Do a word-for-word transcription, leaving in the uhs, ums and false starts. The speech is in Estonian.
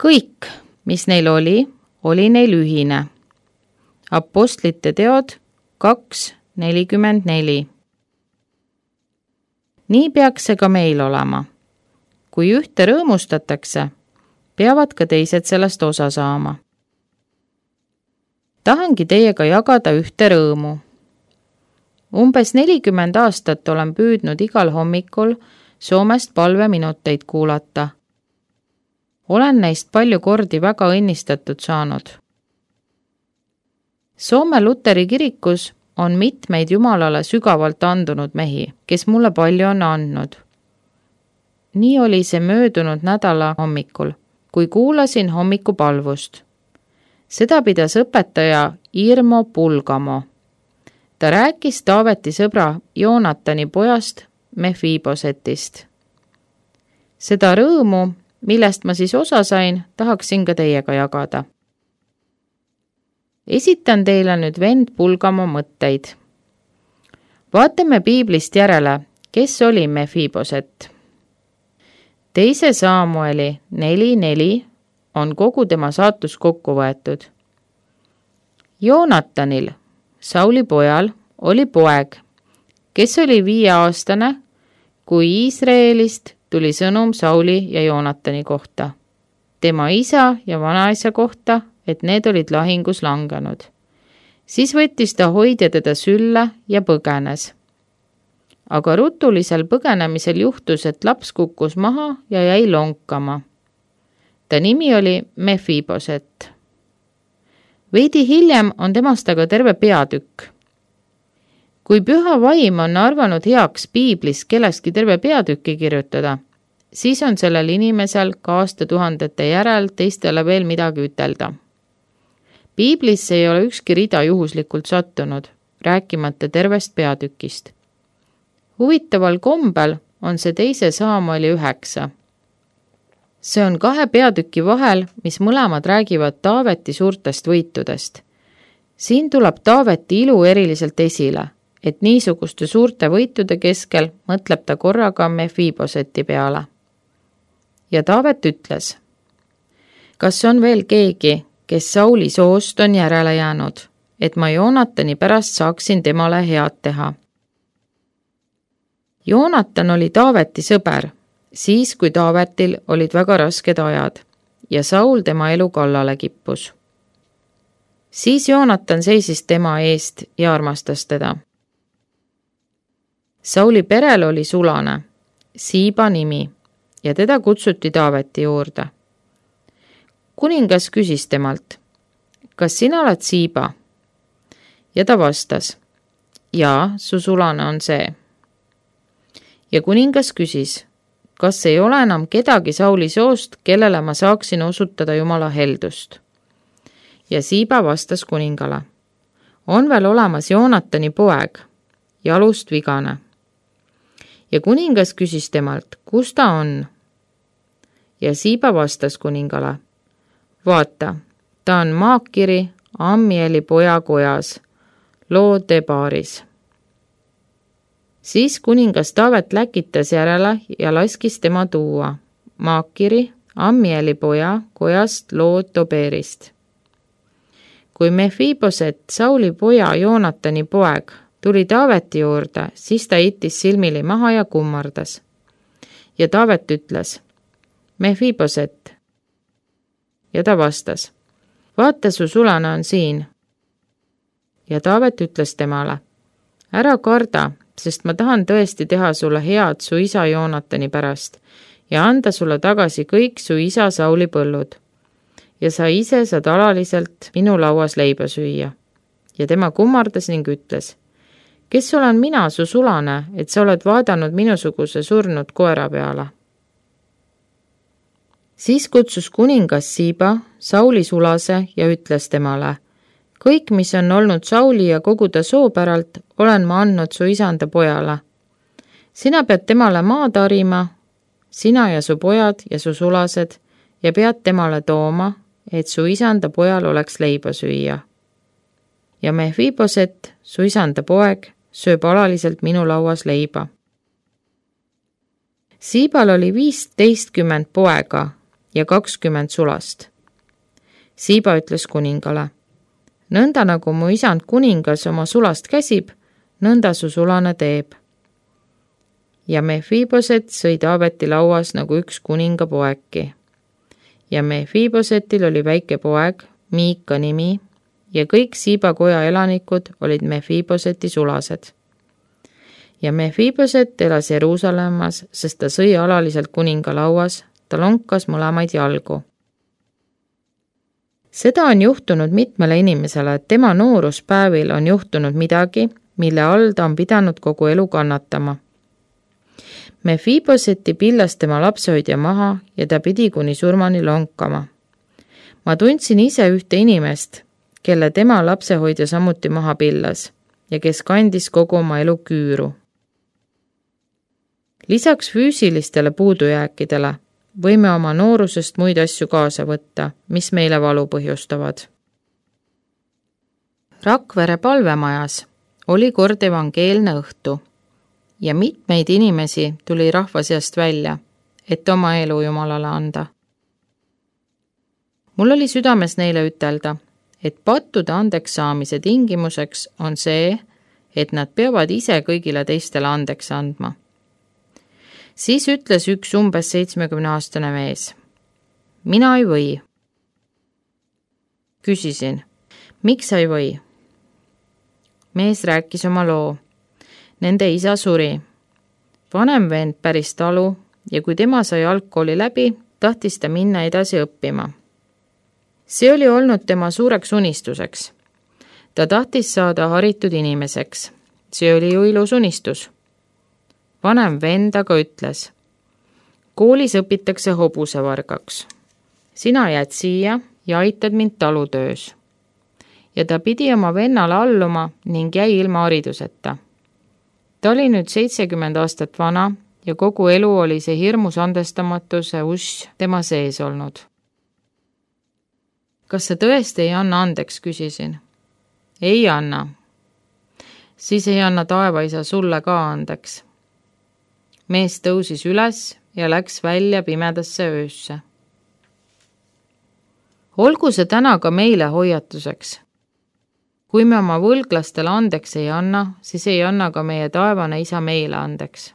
Kõik, mis neil oli, oli neil ühine. Apostlite teod kaks nelikümmend neli. Nii peaks see ka meil olema. Kui ühte rõõmustatakse, peavad ka teised sellest osa saama. Tahangi teiega jagada ühte rõõmu. Umbes nelikümmend aastat olen püüdnud igal hommikul Soomest palveminuteid kuulata. Olen neist palju kordi väga õnnistatud saanud. Soome Luteri kirikus on mitmeid Jumalale sügavalt andunud mehi, kes mulle palju on andnud. Nii oli see möödunud nädala hommikul, kui kuulasin hommikupalvust. Seda pidas õpetaja Irmo Pulgamo. Ta rääkis Taaveti sõbra Joonatani pojast Mefibosetist. Seda rõõmu, millest ma siis osa sain, tahaksin ka teiega jagada. Esitan teile nüüd vend Pulgamo mõtteid. Vaatame piiblist järele, kes oli Mefiboset. Teise Saamueli neli neli on kogu tema saatus kokku võetud. Joonatanil, Sauli pojal, oli poeg, kes oli viieaastane, kui Iisraelist tuli sõnum Sauli ja Joonatani kohta, tema isa ja vanaisa kohta, et need olid lahingus langenud. Siis võttis ta hoidja teda sülle ja põgenes. Aga rutulisel põgenemisel juhtus, et laps kukkus maha ja jäi lonkama. Ta nimi oli Mefiboset. Veidi hiljem on temast aga terve peatükk. Kui püha vaim on arvanud heaks piiblis kellestki terve peatükki kirjutada, siis on sellel inimesel ka aastatuhandete järel teistele veel midagi ütelda. Piiblisse ei ole ükski rida juhuslikult sattunud, rääkimata tervest peatükist. Huvitaval kombel on see teise Saamueli üheksa. See on kahe peatüki vahel, mis mõlemad räägivad Taaveti suurtest võitudest. Siin tuleb Taaveti ilu eriliselt esile, et niisuguste suurte võitude keskel mõtleb ta korraga Mefiboseti peale. Ja Taavet ütles, kas on veel keegi, kes Sauli soost on järele jäänud, et ma Joonatani pärast saaksin temale head teha. Joonatan oli Taaveti sõber, siis kui Taavetil olid väga rasked ajad ja Saul tema elu kallale kippus. Siis Joonatan seisis tema eest ja armastas teda. Sauli perel oli sulane, Siiba nimi, ja teda kutsuti Taaveti juurde. Kuningas küsis temalt, kas sina oled Siiba? Ja ta vastas, jaa, su sulane on see. Ja kuningas küsis, kas ei ole enam kedagi Sauli soost, kellele ma saaksin osutada Jumala heldust. Ja Siiba vastas kuningale, on veel olemas Joonatani poeg, jalust vigane. Ja kuningas küsis temalt, kus ta on? Ja Siiba vastas kuningale, vaata, ta on Maakiri Ammieli poja kojas, Lodebaaris. Siis kuningas Taavet läkitas järele ja laskis tema tuua Maakiri Ammieli poja kojast Lodoberist. Kui Mefiboset, Sauli poja Joonatani poeg, tuli Taaveti juurde, siis ta itis silmili maha ja kummardas. Ja Taavet ütles, Mefiboset. Ja ta vastas, vaata, su sulane on siin. Ja Taavet ütles temale, ära karda, sest ma tahan tõesti teha sulle head su isa Joonatani pärast ja anda sulle tagasi kõik su isa Sauli põllud. Ja sa ise saad alaliselt minu lauas leiba süüa. Ja tema kummardas ning ütles, kes olen mina, su sulane, et sa oled vaadanud minusuguse surnud koera peale? Siis kutsus kuningas Siiba, Sauli sulase ja ütles temale, kõik, mis on olnud Sauli ja kogu ta soopäralt, olen ma andnud su isanda pojale. Sina pead temale maa tarima, sina ja su pojad ja su sulased, ja pead temale tooma, et su isanda pojal oleks leiba süüa. Ja Mefiboset, su isanda poeg, sööb alaliselt minu lauas leiba. Siibal oli viisteistkümmend poega ja kakskümmend sulast. Siiba ütles kuningale, nõnda nagu mu isand kuningas oma sulast käsib, nõnda su sulane teeb. Ja Mefiboset sõi Taaveti lauas nagu üks kuninga poegi. Ja Mefibosetil oli väike poeg, Miika nimi, ja kõik Siiba koja elanikud olid Mefiboseti sulased. Ja Mefiboset elas Jeruusalemmas, sest ta sõi alaliselt kuninga lauas, ta lonkas mõlemaid jalgu. Seda on juhtunud mitmele inimesele, et tema nooruspäevil on juhtunud midagi, mille all ta on pidanud kogu elu kannatama. Mefiboseti pillas tema lapsehoidja maha ja ta pidi kuni surmani lonkama. Ma tundsin ise ühte inimest, kelle tema lapsehoidja samuti maha pillas ja kes kandis kogu oma elu küüru. Lisaks füüsilistele puudujääkidele võime oma noorusest muid asju kaasa võtta, mis meile valu põhjustavad. Rakvere palvemajas oli kord evangeelne õhtu ja mitmeid inimesi tuli rahva seast välja, et oma elu Jumalale anda. Mul oli südames neile ütelda, et pattude andeks saamise tingimuseks on see, et nad peavad ise kõigile teistele andeks andma. Siis ütles üks umbes seitsmekümne aastane mees. Mina ei või. Küsisin, miks sa ei või? Mees rääkis oma loo. Nende isa suri. Vanem vend päris talu ja kui tema sai algkooli läbi, tahtis ta minna edasi õppima. See oli olnud tema suureks unistuseks. Ta tahtis saada haritud inimeseks. See oli ju ilus unistus. Vanem vend aga ütles, koolis õpitakse hobusevargaks. Sina jääd siia ja aitad mind talutöös. Ja ta pidi oma vennale alluma ning jäi ilma hariduseta. Ta oli nüüd seitsekümmend aastat vana ja kogu elu oli see hirmus andestamatuse uss tema sees olnud. Kas sa tõesti ei anna andeks, küsisin. Ei anna. Siis ei anna taevaisa sulle ka andeks. Mees tõusis üles ja läks välja pimedasse öösse. Olgu see täna ka meile hoiatuseks. Kui me oma võlglastele andeks ei anna, siis ei anna ka meie taevane isa meile andeks.